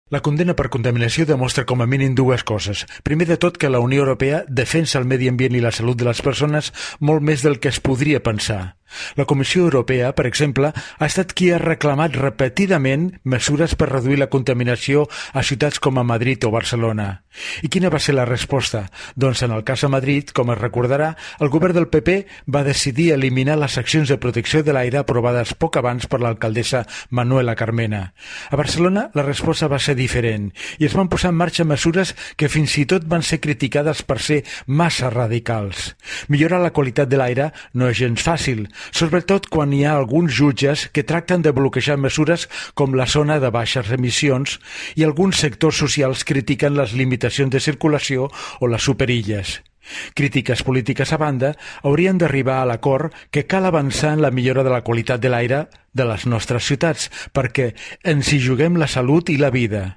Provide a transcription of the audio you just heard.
La condemna per contaminació demostra com a mínim dues coses. Primer de tot, que la Unió Europea defensa el medi ambient i la salut de les persones molt més del que es podria pensar. La Comissió Europea, per exemple, ha estat qui ha reclamat repetidament mesures per reduir la contaminació a ciutats com a Madrid o Barcelona. I quina va ser la resposta? Doncs en el cas a Madrid, com es recordarà, el govern del PP va decidir eliminar les accions de protecció de l'aire aprovades poc abans per l'alcaldessa Manuela Carmena. A Barcelona la resposta va ser diferent i es van posar en marxa mesures que fins i tot van ser criticades per ser massa radicals. Millorar la qualitat de l'aire no és gens fàcil, sobretot quan hi ha alguns jutges que tracten de bloquejar mesures com la zona de baixes emissions i alguns sectors socials critiquen les limitacions de circulació o les superilles. Crítiques polítiques a banda, haurien d'arribar a l'acord que cal avançar en la millora de la qualitat de l'aire de les nostres ciutats, perquè ens hi juguem la salut i la vida.